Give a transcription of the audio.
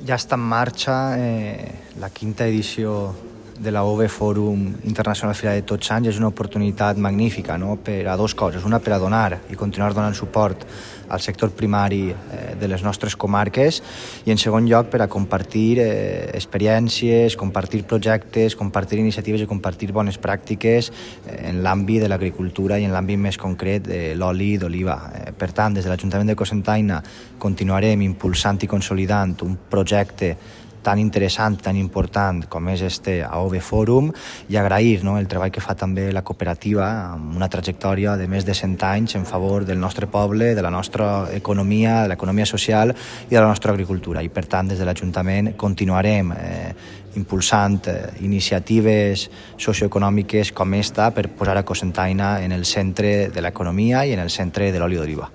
Ja està en marxa la quinta edició de la OVE Fòrum Internacional Fira de Tots Sants. És una oportunitat magnífica, no? Per a dues coses. Una, per a donar i continuar donant suport al sector primari de les nostres comarques, i en segon lloc per a compartir experiències, compartir projectes, compartir iniciatives i compartir bones pràctiques en l'àmbit de l'agricultura i en l'àmbit més concret de l'oli d'oliva. Per tant, des de l'Ajuntament de Cocentaina continuarem impulsant i consolidant un projecte tan interessant, tan important com és este AOVE Fòrum, i agrair el treball que fa també la cooperativa amb una trajectòria de més de 100 anys en favor del nostre poble, de la nostra economia, de l'economia social i de la nostra agricultura. I per tant, des de l'Ajuntament continuarem impulsant iniciatives socioeconòmiques com esta per posar a Cocentaina en el centre de l'economia i en el centre de l'oli d'oliva.